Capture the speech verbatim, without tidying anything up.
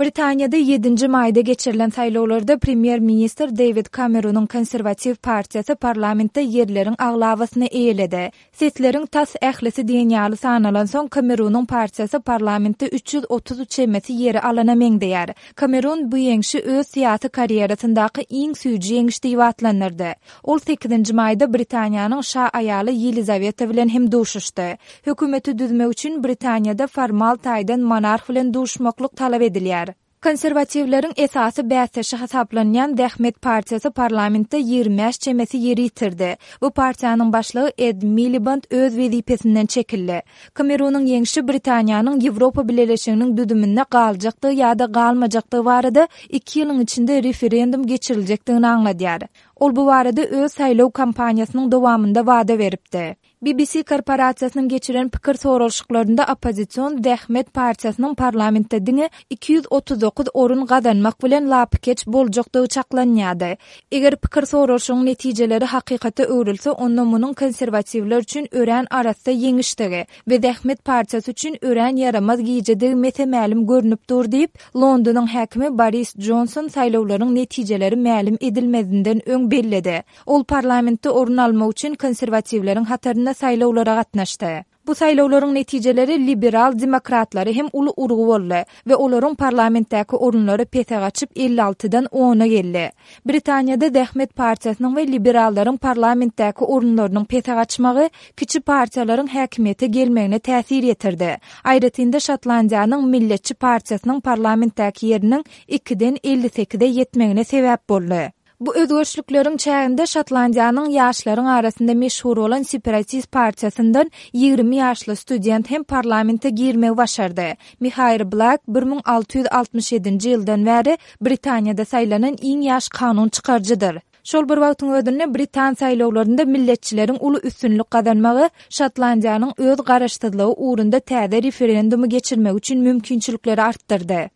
Britaniyada yedinji mayda geçirilen saylawlarda Premier Minister David Cameron'un Konservativ Partiyası parlamentde yerlerin aglawasyny eýledi. Setlerin tas ählisi diýenýaly sanalan soň Cameron'un partiyası parlamentde üç yüz otuz üç çemesi yeri alana meňdeýär. Cameron bu ýeňişi öz syýasy karýerasyndaky iň süýji ýeňiş diýip atlanyrdy. Ol sekizinji mayda Britaniýanyň şa aýaly Yelizaveta bilen hem duşuşdy. Hökümeti düzmek üçin Britaniyada formal taýdan monarh bilen duşmaklyk talap edilýär. Konservativlerin esasy bäsleşi hesaplanýan Dehmet Partiyası parlamentde ýygrimi beş çemesi ýeri ýitirdi. Bu partiýanyň başlygy Ed Miliband öz wezipesinden çekildi. Cameron'un ýeňişi Britaniýanyň Ýewropa Birleşiginiň düdüminde galjakdygy ýa-da galmajakdygy barada iki ýylyň içinde referendum geçirilejekdigini aňladýar. Ol bu barada öz saýlaw kampaniýasynyň dowamynda wada beripdi. B B C korporasiýasynyň geçiren pikir sorulşyklarynda oppozision Dehmet Partiyasının parlamentde diňe iki yüz otuz dokuz orun gadanmak bilen lapkeç boljakdygy çaklanýady. Eger pikir sorulşygyň netijeleri hakykata öwrülse, onda munyň konservativler üçin ören arasynda ýeňişdigi we Dehmet Partiyasy üçin ören yaramaz giýjedigi mesemälim görnüp dur diýip Londonyň häkimi Boris Johnson saýlawlaryň netijeleri mälim edilmezinden öň belledi. Ol parlamentde orun almak üçin konservativleriň hatarynda saýlawlara gatnaşdy. Bu saýlawlaryň netijeleri liberal demokratlary hem uly urgu boldy we olaryň parlamentdäki orunlary pete gaçyp elli altıdan ona geldi. Britaniýada Dehmet Partiýasynyň we liberallaryň parlamentdäki orunlarynyň pete gaçmagy kiçi partiýalaryň häkimiýete gelmegine täsir ýetirdi. Aýratynda Şotlandiýanyň Milletçi Partiýasynyň parlamentdäki ýeriniň ikiden elli sekizde ýetmegine sebäp boldy. Bu özgörçlükleriň çäginde Şotlandiýanyň ýaşlaryň arasynda meşhur bolan Separatist Partiýasyndan ýygrimi ýaşly student hem parlamente girmegi başardy. Michael Black bir ming alty yüz altmış ýedinji ýyldan bäri Britaniýada saýlanan iň ýaş kanun çykarjydyr. Şol bir wagtyň ödünde Britan saýlawlarynda milletçileriň uly üstünlük gazanmagy Şotlandiýanyň öz garaşdyrlygy uğrunda täze referendumy geçirmek üçin mümkinçilikleri artdyrdy.